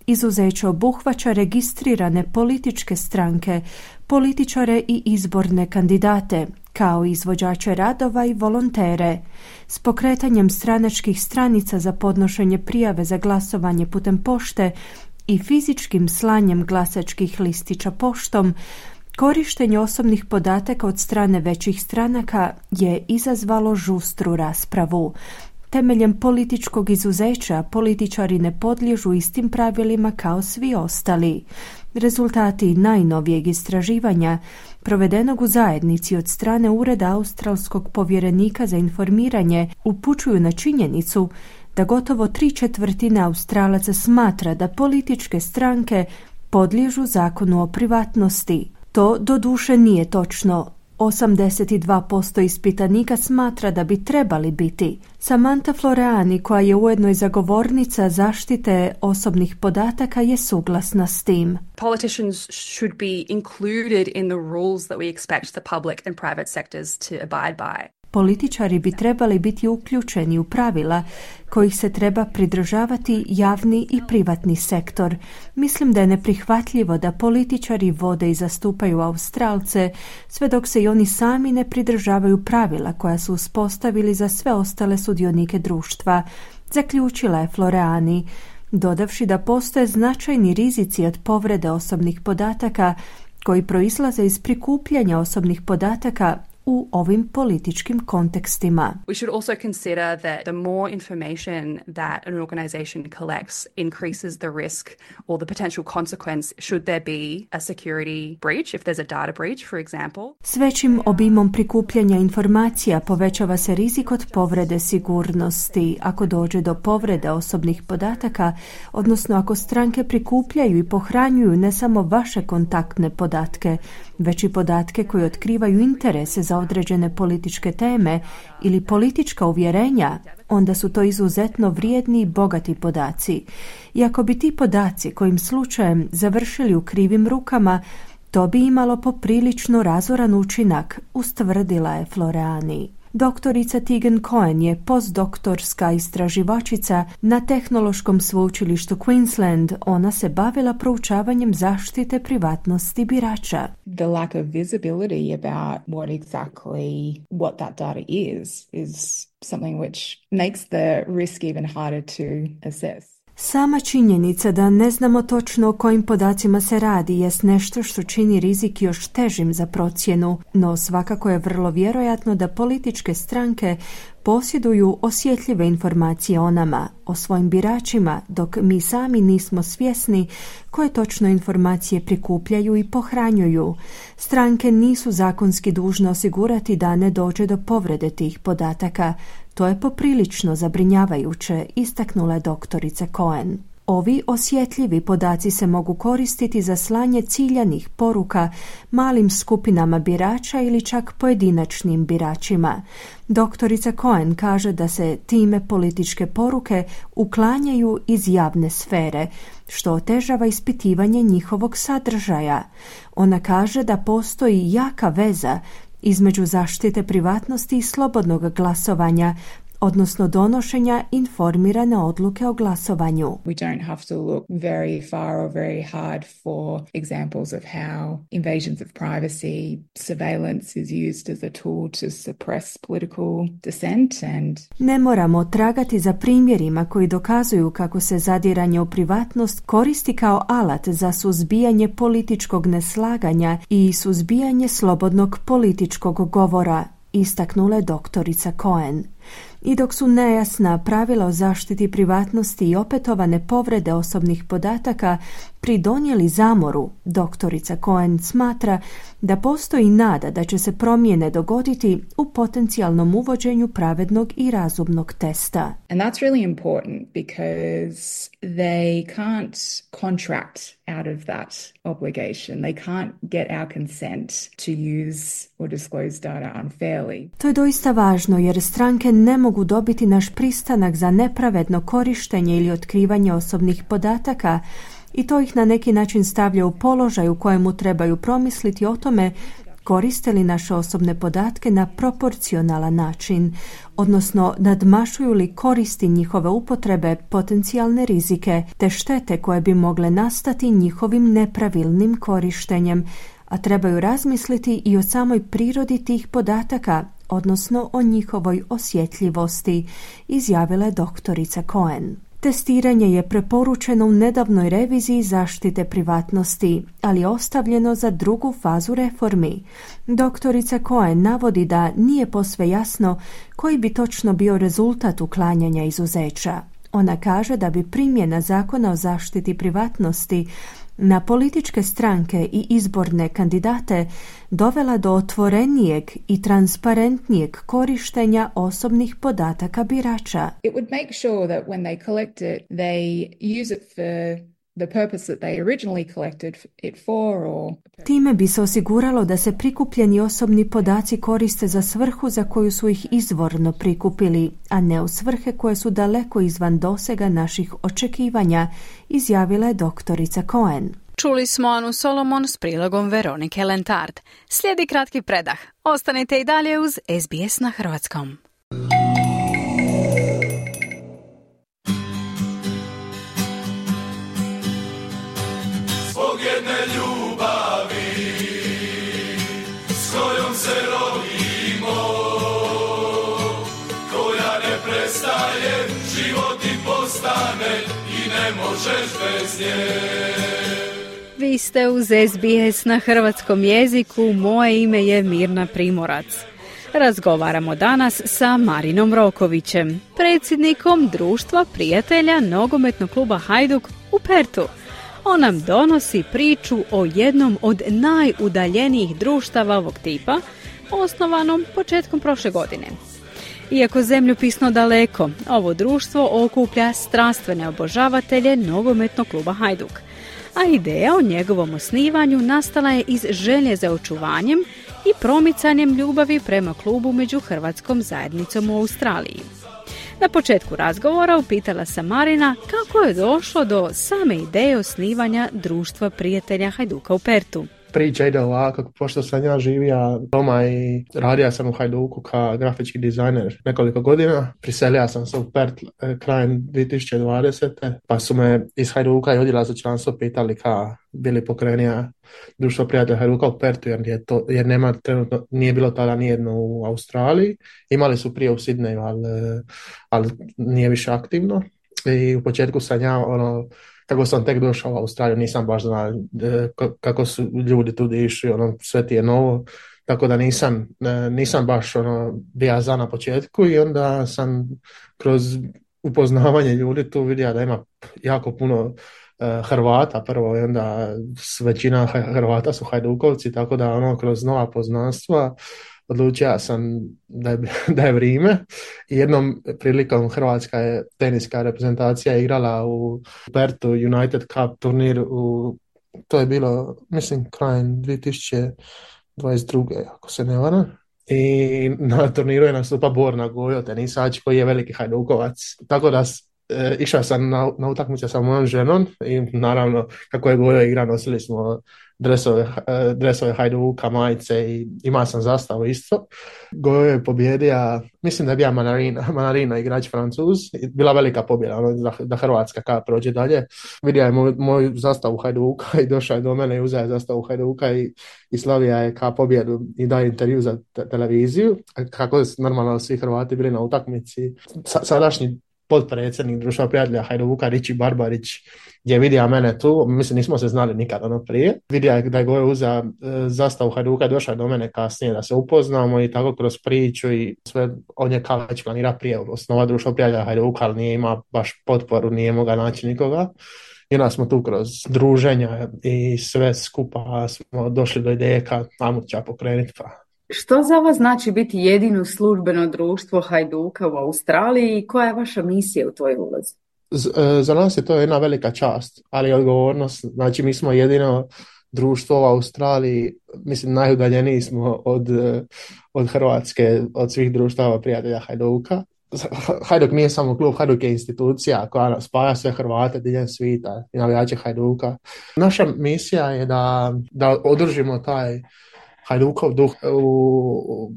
Izuzeće obuhvaća registrirane političke stranke, političare i izborne kandidate, kao izvođače radova i volontere. S pokretanjem stranačkih stranica za podnošenje prijave za glasovanje putem pošte i fizičkim slanjem glasačkih listića poštom, korištenje osobnih podataka od strane većih stranaka je izazvalo žustru raspravu. Temeljem političkog izuzeća političari ne podliježu istim pravilima kao svi ostali. Rezultati najnovijeg istraživanja, provedenog u zajednici od strane Ureda australskog povjerenika za informiranje, upućuju na činjenicu da gotovo 3/4 Australaca smatra da političke stranke podliježu zakonu o privatnosti. To doduše nije točno. 82% ispitanika smatra da bi trebali biti. Samantha Floreani, koja je ujedno i zagovornica zaštite osobnih podataka, je suglasna s tim. Politicians should be included in the rules that we expect the public and private sectors to abide by. Političari bi trebali biti uključeni u pravila kojih se treba pridržavati javni i privatni sektor. Mislim da je neprihvatljivo da političari vode i zastupaju Australce sve dok se i oni sami ne pridržavaju pravila koja su uspostavili za sve ostale sudionike društva, zaključila je Floreani, dodavši da postoje značajni rizici od povrede osobnih podataka koji proizlaze iz prikupljanja osobnih podataka u ovim političkim kontekstima. We should also consider that the more information that an organization collects increases the risk or the potential consequence should there be a security breach, if there's a data breach, for example. S većim obimom prikupljanja informacija povećava se rizik od povrede sigurnosti. Ako dođe do povrede osobnih podataka, odnosno ako stranke prikupljaju i pohranjuju ne samo vaše kontaktne podatke, već i podatke koje otkrivaju interese za određene političke teme ili politička uvjerenja, onda su to izuzetno vrijedni i bogati podaci. I ako bi ti podaci kojim slučajem završili u krivim rukama, to bi imalo poprilično razoran učinak, ustvrdila je Floreani. Doktorica Tegan Cohen je postdoktorska istraživačica na Tehnološkom sveučilištu Queensland. Ona se bavila proučavanjem zaštite privatnosti birača. The lack of visibility about what that data is something which makes the risk even harder to assess. Sama činjenica da ne znamo točno o kojim podacima se radi jest nešto što čini rizik još težim za procjenu, no svakako je vrlo vjerojatno da političke stranke posjeduju osjetljive informacije o nama, o svojim biračima, dok mi sami nismo svjesni koje točno informacije prikupljaju i pohranjuju. Stranke nisu zakonski dužne osigurati da ne dođe do povrede tih podataka. To je poprilično zabrinjavajuće, istaknula je doktorica Cohen. Ovi osjetljivi podaci se mogu koristiti za slanje ciljanih poruka malim skupinama birača ili čak pojedinačnim biračima. Doktorica Cohen kaže da se time političke poruke uklanjaju iz javne sfere, što otežava ispitivanje njihovog sadržaja. Ona kaže da postoji jaka veza između zaštite privatnosti i slobodnog glasovanja, odnosno donošenja informirane odluke o glasovanju. We don't have to look very far or very hard for examples of how invasions of privacy, surveillance is used as a tool to suppress political dissent and ne moramo tragati za primjerima koji dokazuju kako se zadiranje u privatnost koristi kao alat za suzbijanje političkog neslaganja i suzbijanje slobodnog političkog govora, istaknula je doktorica Cohen. I dok su nejasna pravila o zaštiti privatnosti i opetovane povrede osobnih podataka pridonijeli zamoru, doktorica Cohen smatra da postoji nada da će se promjene dogoditi u potencijalnom uvođenju pravednog i razumnog testa. And that's really important because they can't contract out of that obligation. They can't get our consent to use or disclose data unfairly. To je doista važno jer stranke ne mogu dobiti naš pristanak za nepravedno korištenje ili otkrivanje osobnih podataka i to ih na neki način stavlja u položaj u kojemu trebaju promisliti o tome koriste li naše osobne podatke na proporcionalan način, odnosno nadmašuju li koristi njihove upotrebe potencijalne rizike te štete koje bi mogle nastati njihovim nepravilnim korištenjem, a trebaju razmisliti i o samoj prirodi tih podataka, odnosno o njihovoj osjetljivosti, izjavila je doktorica Cohen. Testiranje je preporučeno u nedavnoj reviziji zaštite privatnosti, ali je ostavljeno za drugu fazu reformi. Doktorica Cohen navodi da nije posve jasno koji bi točno bio rezultat uklanjanja izuzeća. Ona kaže da bi primjena zakona o zaštiti privatnosti na političke stranke i izborne kandidate dovela do otvorenijeg i transparentnijeg korištenja osobnih podataka birača. It would make sure that when they collect it, they use it for the purpose that they originally collected it for or time bi se osiguralo da se prikupljeni osobni podaci koriste za svrhu za koju su ih izvorno prikupili, a ne u svrhe koje su daleko izvan dosega naših očekivanja, izjavila je doktorica Cohen. Čuli smo Anu Solomon s prilogom Veronike Lentard. Slijedi kratki predah. Ostanite i dalje uz SBS na hrvatskom. Zbog jedne ljubavi s kojom se rodimo, koja ne prestaje, život ti postane i ne možeš bez nje. Vi ste uz SBS na hrvatskom jeziku, moje ime je Mirna Primorac. Razgovaramo danas sa Marinom Rokovićem, predsjednikom Društva prijatelja nogometnog kluba Hajduk u Perthu. On nam donosi priču o jednom od najudaljenijih društava ovog tipa, osnovanom početkom prošle godine. Iako zemljopisno daleko, ovo društvo okuplja strastvene obožavatelje nogometnog kluba Hajduk, a ideja o njegovom osnivanju nastala je iz želje za očuvanjem i promicanjem ljubavi prema klubu među hrvatskom zajednicom u Australiji. Na početku razgovora upitala sam Marina kako je došlo do same ideje osnivanja Društva prijatelja Hajduka u Perthu. Priča ide ovako, pošto sam ja živio doma i radio sam u Hajduku kao grafički dizajner nekoliko godina. Priselio sam se u Perth krajem 2020. Pa su me iz Hajduka i odjela za članstvo pitali kao bili pokrenija Društvo prijatelja Hajduka u Perthu, jer nema trenutno, nije bilo tada nijedno u Australiji. Imali su prije u Sidneju, ali nije više aktivno. I u početku sam ja kako sam tek došao u Australiju, nisam baš znao kako su ljudi tu išli, sve ti je novo, tako da nisam baš bio za na početku i onda sam kroz upoznavanje ljudi tu vidio da ima jako puno Hrvata prvo i onda većina Hrvata su Hajdukovci, tako da kroz nova poznanstva odlučio sam da je vrijeme. I jednom prilikom hrvatska je teniska reprezentacija igrala u Pertu United Cup turnir to je bilo, mislim, krajem 2022. ako se ne varam. I na turniru je nastupa Borna Gojo, tenisač koji je veliki hajdukovac. Tako da išao sam na utakmice sa mojom ženom i naravno kako je Gojo igra nosili smo dresove Hajduka, majice i imao sam zastavu isto. Gojo je pobjedio, mislim da je bio Manarina igrač Francuz, bila velika pobjeda da Hrvatska prođe dalje. Vidio je moju zastavu Hajduka i došao je do mene i uzeo zastavu Hajduka i slavija je ka pobjedu i daje intervju za televiziju. Kako normalno svi Hrvati bili na utakmici. Sadašnji potpredsjednik Društva prijatelja Hajduka, Riči Barbarić, je vidio mene tu, mislim nismo se znali nikad prije. Vidio je da je Gojo uzeo zastavu Hajduka i došao do mene kasnije da se upoznamo i tako kroz priču i sve on je kao već planira prije osnova Društva prijatelja Hajduka, ali nije imao baš potporu, nije mogao naći nikoga. I onda smo tu kroz druženja i sve skupa smo došli do ideje ajmo će pokrenuti pa. Što za vas znači biti jedino službeno društvo Hajduka u Australiji i koja je vaša misija u toj ulozi? Za nas je to jedna velika čast, ali odgovornost. Znači mi smo jedino društvo u Australiji, mislim najudaljeniji smo od Hrvatske, od svih društava prijatelja Hajduka. Hajduk nije samo klub, Hajduk je institucija koja spaja sve Hrvate diljem svijeta i navijače Hajduka. Naša misija je da održimo taj Hajdukov duh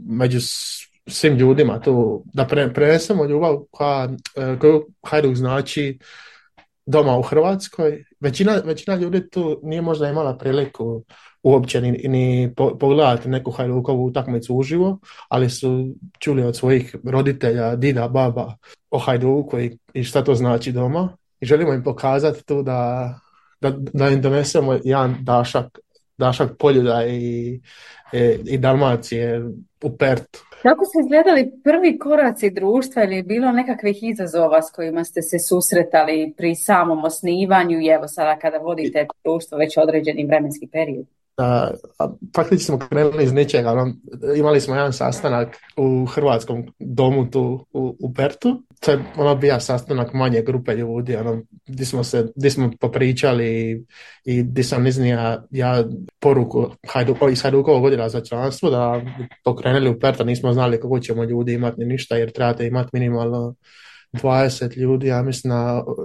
među svim ljudima tu, da prenesemo ljubav koju Hajduk znači doma u Hrvatskoj. Većina ljudi tu nije možda imala priliku uopće ni pogledati neku Hajdukovu utakmicu uživo, ali su čuli od svojih roditelja, dida, baba o Hajduku i šta to znači doma. I želimo im pokazati tu da im donesemo jedan dašak Poljuda i Dalmacije u Pertu. Kako su izgledali prvi koraci društva ili je bilo nekakvih izazova s kojima ste se susretali pri samom osnivanju i evo sada kada vodite društvo već određeni vremenski period? Faktički smo krenuli iz ničega. Imali smo jedan sastanak u hrvatskom domu tu u Pertu. To je bio sastanak manje grupe ljudi, gdje smo popričali i gdje sam iznio poruku iz Hajdukovog odjela za članstvo da pokrenuli u Pertu. Nismo znali kako ćemo ljudi imati ni ništa jer trebate imati minimalno 20 ljudi, ja mislim,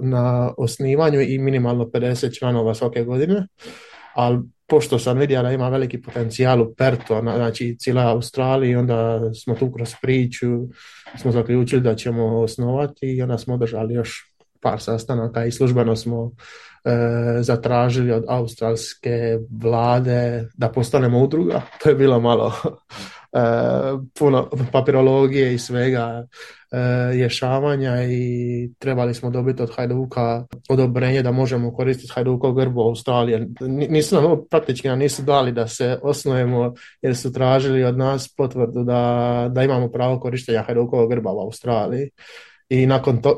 na osnivanju i minimalno 50 članova svake godine. Ali pošto sam vidio da ima veliki potencijal u Pertu, znači cijela Australija, onda smo tu kroz priču smo zaključili da ćemo osnovati i onda smo održali još par sastanaka i službeno smo zatražili od australske vlade da postanemo udruga. To je bilo malo puno papirologije i svega rješavanja i trebali smo dobiti od Hajduka odobrenje da možemo koristiti Hajdukov grb u Australiji. Praktički nam nisu dali da se osnujemo jer su tražili od nas potvrdu da imamo pravo korištenja Hajdukovog grba u Australiji. I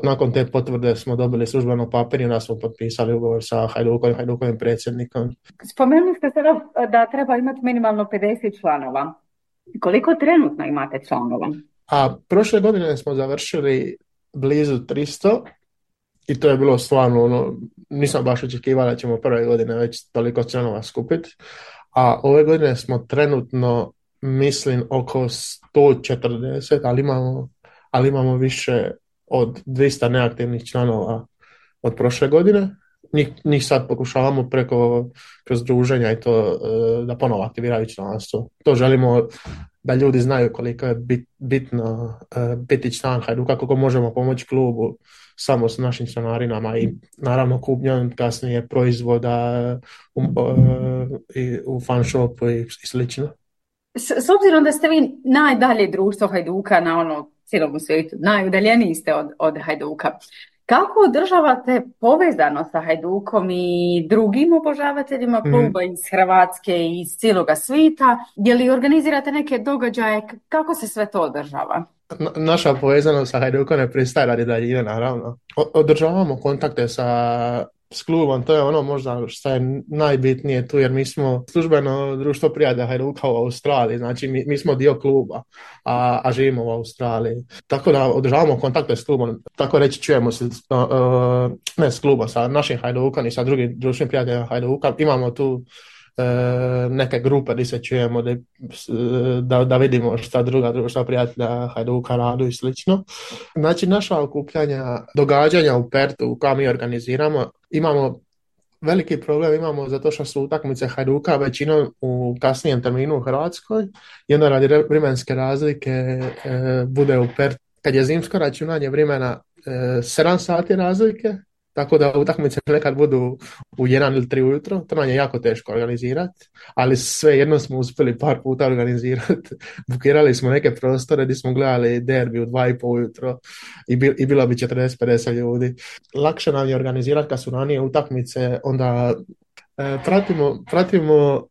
nakon te potvrde smo dobili službeno papir i onda smo potpisali ugovor sa Hajdukovim predsjednikom. Spomenuli ste sada da treba imati minimalno 50 članova. Koliko trenutno imate članova? Prošle godine smo završili blizu 300 i to je bilo stvarno, nisam baš očekivao da ćemo prve godine već toliko članova skupiti. A ove godine smo trenutno, mislim, oko 140, ali imamo više od 200 neaktivnih članova od prošle godine. Njih sad pokušavamo kroz druženja i to da ponovo aktiviraju članstvo. To želimo da ljudi znaju koliko je bitno biti član Hajduka, kako možemo pomoći klubu samo s našim članarinama i naravno kupnjom kasnije proizvoda u fan shopu i slično. S obzirom da ste vi najdalje društvo Hajduka na cijelom svijetu, najudaljeniji ste od Hajduka, kako održavate povezano sa Hajdukom i drugim obožavateljima kluba iz Hrvatske i iz cijeloga svijeta? Je li organizirate neke događaje? Kako se sve to održava? Naša povezanost sa Hajdukom ne pristaje radi daljine, naravno. Održavamo kontakte sa s klubom, to je ono možda što je najbitnije tu, jer mi smo službeno društvo prijatelja Hajduka u Australiji, znači mi smo dio kluba, a živimo u Australiji. Tako da održavamo kontakte s klubom, tako reći čujemo se, ne s klubom, sa našim Hajdukom i sa drugim društvenim prijateljima Hajduka. Imamo tu neke grupe gdje se čujemo da vidimo šta druga društva prijatelja Hajduka radu i slično. Znači naša okupljanja, događanja u Perthu koja mi organiziramo, imamo veliki problem, imamo zato što su utakmice Hajduka većinom u kasnijem terminu u Hrvatskoj i onda radi vremenske razlike bude u Perthu. Kad je zimsko računanje vremena 7 sati razlike, tako da utakmice nekad budu u 1 ili 3 ujutro, to nam je jako teško organizirati, ali svejedno smo uspjeli par puta organizirati. Bukirali smo neke prostore gdje smo gledali derbi u 2,5 ujutro i bilo bi 40-50 ljudi. Lakše nam je organizirati kad su ranije utakmice, onda pratimo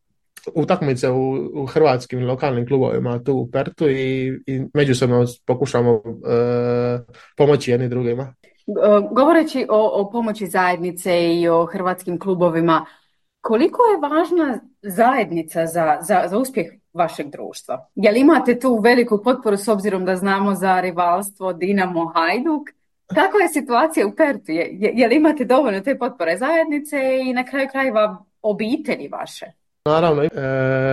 utakmice u hrvatskim lokalnim klubovima tu u Perthu i međusobno pokušamo pomoći jedni drugima. Govoreći o pomoći zajednice i o hrvatskim klubovima, koliko je važna zajednica za uspjeh vašeg društva? Jel imate tu veliku potporu s obzirom da znamo za rivalstvo Dinamo Hajduk? Kakva je situacija u Perthu? Jel imate dovoljno te potpore zajednice i na kraju krajeva obitelji vaše? Naravno,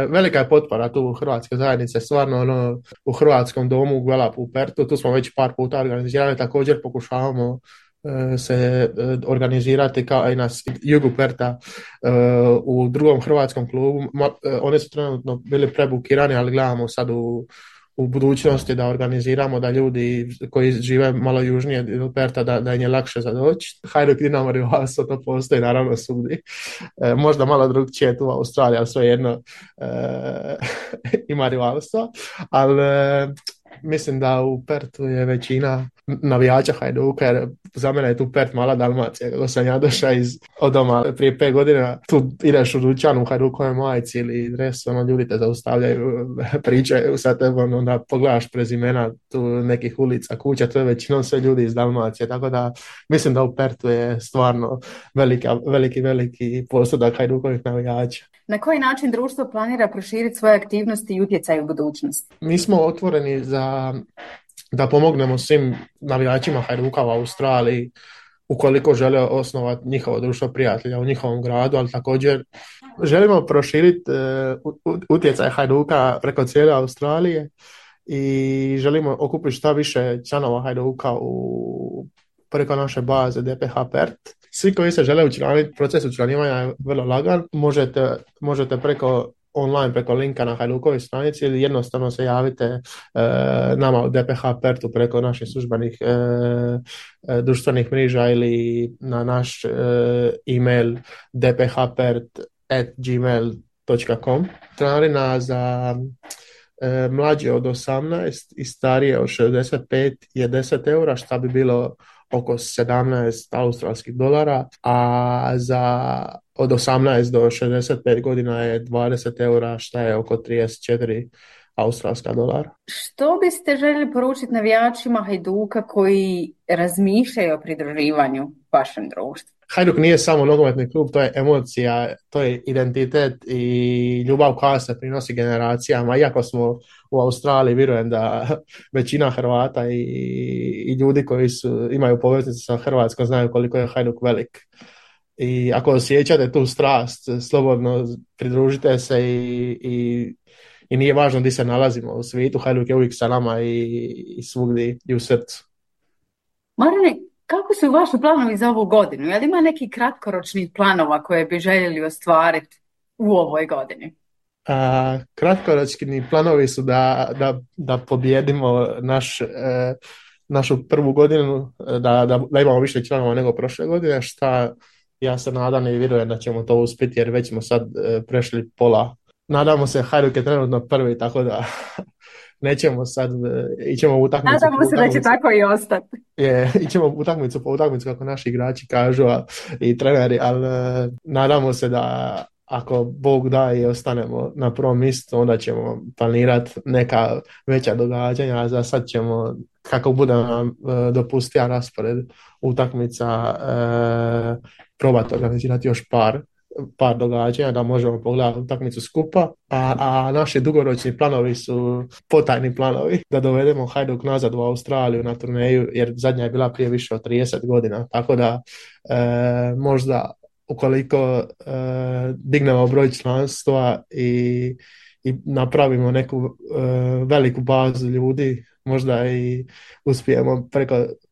velika je potpora tu u hrvatske zajednice, stvarno u hrvatskom domu u Gvelapu u Perthu, tu smo već par puta organizirali, također pokušavamo se organizirati kao i na jugu Pertha u drugom hrvatskom klubu. Oni su trenutno bili prebukirani, ali gledamo sad u budućnosti da organiziramo da ljudi koji žive malo južnije od Pertha da im je lakše za doći. Hajduk Dinamo rivalstvo, to postoji naravno svugdje. Možda malo drugčije tu u Australiji, ali svejedno ima rivalstvo. Ali mislim da u Perthu je većina navijača Hajduka, jer za mene je tu Perth mala Dalmacija. Kako sam ja došao od doma prije 5 godina, tu ideš u dućan u Hajdukove majici ili dres, ljudi te zaustavljaju, pričaju sa tebom, onda pogledaš prezimena tu nekih ulica, kuća, to je većinom sve ljudi iz Dalmacije, tako da mislim da u Perthu je stvarno veliki postotak Hajdukovih navijača. Na koji način društvo planira proširiti svoje aktivnosti i utjecaj u budućnosti? Mi smo otvoreni da pomognemo svim navijačima Hajduka u Australiji ukoliko žele osnovati njihovo društvo prijatelja u njihovom gradu, ali također želimo proširiti utjecaj Hajduka preko cijele Australije i želimo okupiti šta više članova Hajduka preko naše baze DPH Perth. Svi koji se žele učlaniti, proces učlanivanja je vrlo lagan, možete preko online, preko linka na Hajdukovoj stranici ili jednostavno se javite nama u DPH Perthu preko naših službenih društvenih mreža ili na naš email dphpert@gmail.com. Članarina za mlađe od 18 i starije od 65 je 10 eura, šta bi bilo oko 17 australskih dolara, a za od 18 do 65 godina je 20 eura, šta je oko 34 australska dolara. Što biste željeli poručiti navijačima Hajduka koji razmišljaju o pridruživanju vašem društvu? Hajduk nije samo nogometni klub, to je emocija, to je identitet i ljubav koja se prinosi generacijama. Iako smo u Australiji, vjerujem da većina Hrvata i ljudi koji imaju poveznicu sa Hrvatskom znaju koliko je Hajduk velik. I ako osjećate tu strast, slobodno pridružite se i nije važno gdje se nalazimo u svijetu. Hajduk je uvijek sa nama i svugdje i u srcu. Marine, kako su vaši planovi za ovu godinu? Je li ima neki kratkoročnih planova koje bi željeli ostvariti u ovoj godini? Kratkoročni planovi su da pobjedimo našu prvu godinu, da imamo više članova nego prošle godine, šta ja se nadam i vjerujem da ćemo to uspjeti, jer već smo sad prešli pola. Nadamo se, Hajduk je trenutno prvi, tako da nećemo sad, ićemo u utakmicu. Nadamo se da će tako i ostati. Ićemo utakmicu po utakmicu kako naši igrači kažu i treneri, ali nadamo se da ako Bog da i ostanemo na prvom mjestu, onda ćemo planirati neka veća događanja, a za sad ćemo, kako bude nam dopustio raspored utakmica, probati organizirati još par događanja da možemo pogledati utakmicu skupa, a naši dugoročni planovi su potajni planovi da dovedemo Hajduk nazad u Australiju na turneju, jer zadnja je bila prije više od 30 godina, tako da možda ukoliko dignemo broj članstva i napravimo neku veliku bazu ljudi, možda i uspijemo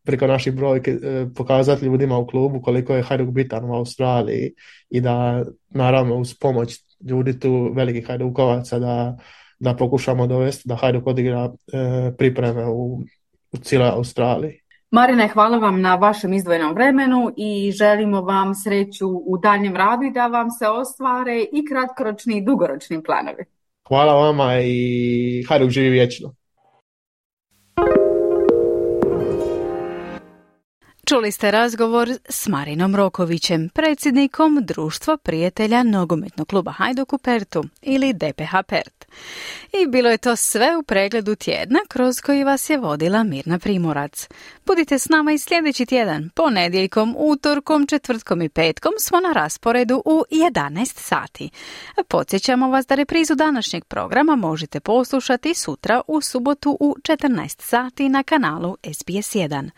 preko naših brojki pokazati ljudima u klubu koliko je Hajduk bitan u Australiji i da naravno uz pomoć ljudi tu velikih Hajdukovaca da pokušamo dovesti da Hajduk odigra pripreme u cijeloj Australiji. Marine, hvala vam na vašem izdvojenom vremenu i želimo vam sreću u daljem radu i da vam se ostvare i kratkoročni i dugoročni planovi. Hvala vama i Hajduk živi vječno. Čuli ste razgovor s Marinom Rokovićem, predsjednikom Društva prijatelja nogometnog kluba Hajduk u Pertu ili DPH Pert. I bilo je to sve u pregledu tjedna kroz koji vas je vodila Mirna Primorac. Budite s nama i sljedeći tjedan, ponedjeljkom, utorkom, četvrtkom i petkom smo na rasporedu u 11 sati. Podsjećamo vas da reprizu današnjeg programa možete poslušati sutra u subotu u 14 sati na kanalu SBS1.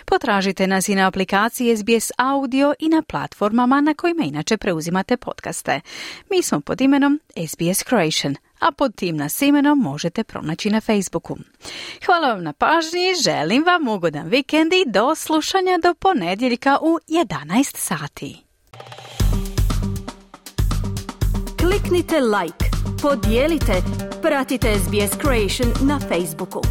Potražite nas i na aplikaciji SBS Audio i na platformama na kojima inače preuzimate podcaste. Mi smo pod imenom SBS Croatian, a pod tim nas imenom možete pronaći na Facebooku. Hvala vam na pažnji, želim vam ugodan vikend i do slušanja do ponedjeljka u 11 sati. Kliknite like, podijelite, pratite SBS Croatian na Facebooku.